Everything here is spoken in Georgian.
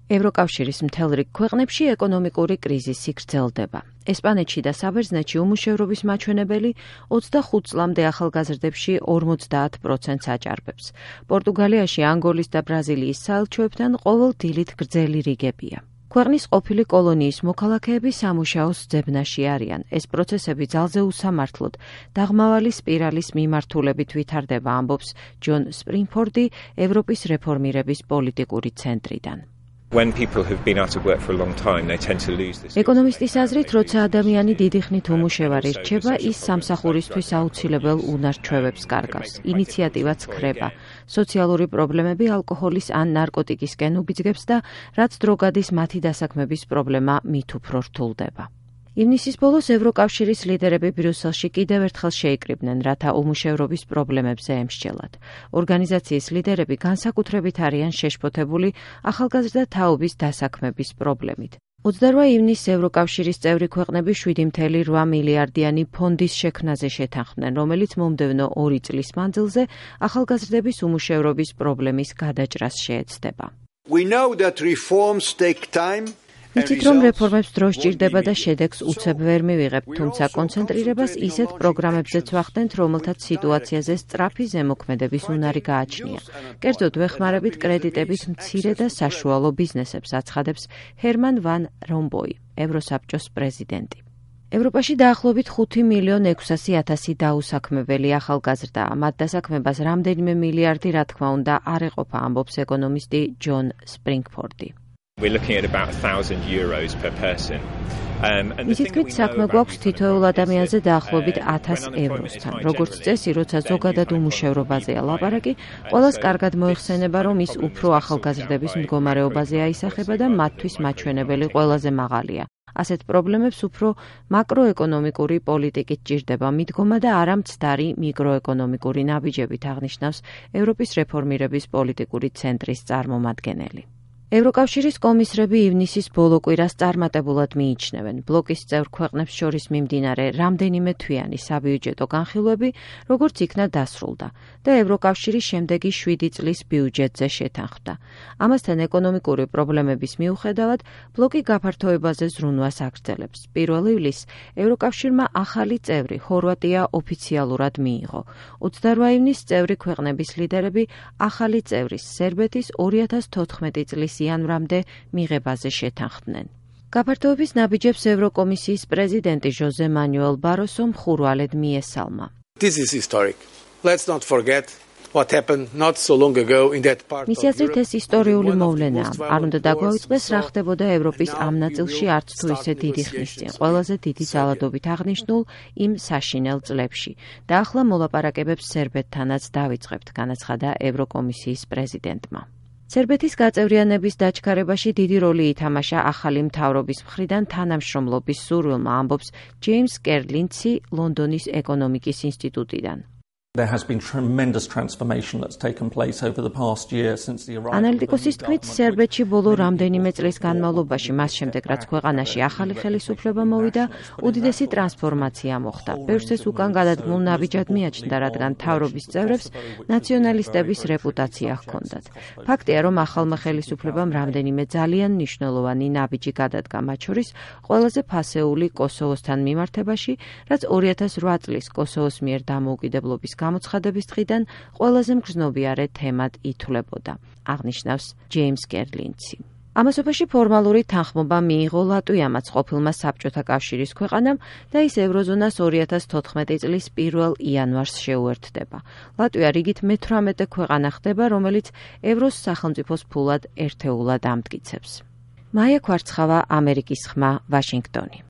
ევროკავშირის მთელ რიგ ქვეყნებში ეკონომიკური კრიზისი გრძელდება. ესპანეთში და საბერძნეთში უმუშევრობის მაჩვენებელი 25 წლამდე ახალგაზრდებში 50%-ს აჭარბებს. პორტუგალიაში, ანგოლის და ბრაზილიის საელჩოებთან ყოველ დილით გრძელი რიგებია. ქვეყნის ყოფილი კოლონიის მოქალაქეები სამუშაოს ძებნაში არიან. ეს პროცესები ძალზე უსამართლოდ დაღმავალი სპირალის მიმართულებით ვითარდება, ამბობს ჯონ სპრინგფორდი ევროპის რეფორმირების პოლიტიკური ცენტრიდან. ეკონომისტის აზრით, როცა ადამიანი დიდი ხნით უმუშევარი რჩება, ის სამსახურისთვის აუცილებელ უნარ-ჩვევებს კარგავს. ინიციატივაც ქრება. სოციალური პრობლემები ალკოჰოლის ან ნარკოტიკისკენ უბიძგებს და რაც დრო გადის მათი დასაქმების პრობლემა მით უფრო რთულდება. ივნისის ბოლოს ევროკავშირის ლიდერები ბრიუსელში კიდევ ერთხელ შეიკრიბნენ, რათა უმუშევრობის პრობლემებზე ემსჯელად. ორგანიზაციის ლიდერები განსაკუთრებით არიან შეშფოთებული ახალგაზრდა თაობის დასაქმების პრობლემით. 28 ივნისს ევროკავშირის წევრი ქვეყნები 7.8 მილიარდიანი ფონდის შექმნაზე შეთანხმდნენ, რომელიც მომდევნო 2 წლის მანძილზე ახალგაზრდების უმუშევრობის პრობლემის გადაჭრას შეეცდება. იცით, რომ რეფორმებს დრო სჭირდება და შედეგს უცებ ვერ მივიღებთ, თუმცა კონცენტრირებას ისეთ პროგრამებზეც ვახდენთ, რომელთაც სიტუაციაზე სწრაფი ზემოქმედების უნარი გააჩნია. კერძოდ, ვეხმარებით კრედიტებით მცირე და საშუალო ბიზნესებს, აცხადებს ჰერმან ვან რომპოი, ევროსაბჭოს პრეზიდენტი. ევროპაში დაახლოებით 5.600.000 დაუსაქმებელი ახალგაზრდაა. მათ დასაქმებას რამდენიმე მილიარდი, რა თქმა უნდა, არ ეყოფა, ამბობს ეკონომისტი ჯონ სპრინგფორდი. მისი თქმით, საქმე გვაქვს თითოეულ ადამიანზე დაახლოებით 1000 ევროსთან. როგორც წესი, როცა ზოგადად უმუშევრობაზეა ლაპარაკი, ყველას კარგად მოიხსენება, რომ ის უფრო ახალგაზრდების მდგომარეობაზე აისახება და მათთვის მაჩვენებელი ყველაზე მაღალია. ასეთ პრობლემებს უფრო მაკროეკონომიკური პოლიტიკით ჭირდება მიდგომა და არა მცდარი მიკროეკონომიკური ნაბიჯებით, აღნიშნავს ევროპის რეფორმირების პოლიტიკური ცენტრის წარმომადგენელი. ევროკავშირის კომისრები ივნისის ბოლო კვირას წარმატებულად მიიჩნევენ. ბლოკის წევრ ქვეყნებს შორის მიმდინარე რამდენიმე თვიანი საბიუჯეტო განხილვები, როგორც იქნა დასრულდა და ევროკავშირი შემდეგი 7 წლის ბიუჯეტზე შეთანხმდა. ამასთან ეკონომიკური პრობლემების მიუხედავად, ბლოკი გაფართოებაზე ზრუნვას აგრძელებს. 1 ივლისს ევროკავშირმა ახალი წევრი ხორვატია ოფიციალურად მიიღო. 28 ივნისს წევრი ქვეყნების ლიდერები ახალი წევრის სერბეთის 2014 წლის იანვრამდე მიღებაზე შეთანხმდნენ. გაფართოების ნაბიჯებს ევროკომისიის პრეზიდენტი ჟოზე მანუელ ბაროსო მხურვალედ მიესალმა. მისი აზრით, ეს ისტორიული მოვლენაა. არ უნდა დაგვაუწყდეს, რა ხდებოდა ევროპის ამ ნაწილში არც თუ ისე დიდი ხნის წინ, ყველაზე დიდი ძალადობით აღნიშნულ იმ საშინელ წლებში. და ახლა მოლაპარაკებებს სერბეთთანაც დავიწყებთ, განაცხადა ევროკომისიის პრეზიდენტმა. სერბეთის გაწევრიანების დაჩქარებაში დიდი როლი ითამაშა ახალი მთავრობის მხრიდან თანამშრომლობის სურვილმა, ამბობს ჯეიმს კერლინცი ლონდონის ეკონომიკის ინსტიტუტიდან. ანალიტიკოსის თქმით, სერბეთში ბოლო რამდენიმე წლის განმავლობაში, მას შემდეგ რაც ქვეყანაში ახალი ხელისუფლება მოვიდა, უდიდესი ტრანსფორმაცია მოხდა. ბევრს ეს უკან გადადგმულ ნაბიჯად მიაჩნდა, რადგან მთავრობის წევრებს ნაციონალისტების რეპუტაცია ჰქონდათ. ფაქტია, რომ ახალმა ხელისუფლებამ რამდენიმე ძალიან მნიშვნელოვანი ნაბიჯი გადადგა, მათ შორის ყველაზე ფასეული კოსოვოსთან მიმართებაში, რაც 2008 წლის კოსოვოს მიერ დამოუკიდებლობის გამოცხადების დღიდან ყველაზე მგრძნობიარე თემად ითვლებოდა, აღნიშნავს ჯეიმს კერლინცი. ამასობაში ფორმალური თანხმობა მიიღო ლატვიამაც, ყოფილმა საბჭოთა კავშირის ქვეყანამ და ის ევროზონას 2014 წლის 1 იანვარს შეუერთდება. ლატვია რიგით მე-18 ქვეყანა ხდება, რომელიც ევროს სახელმწიფოს ფულად ერთეულად ამტკიცებს. მაია ქვარცხავა, ამერიკის ხმა, ვაშინგტონი.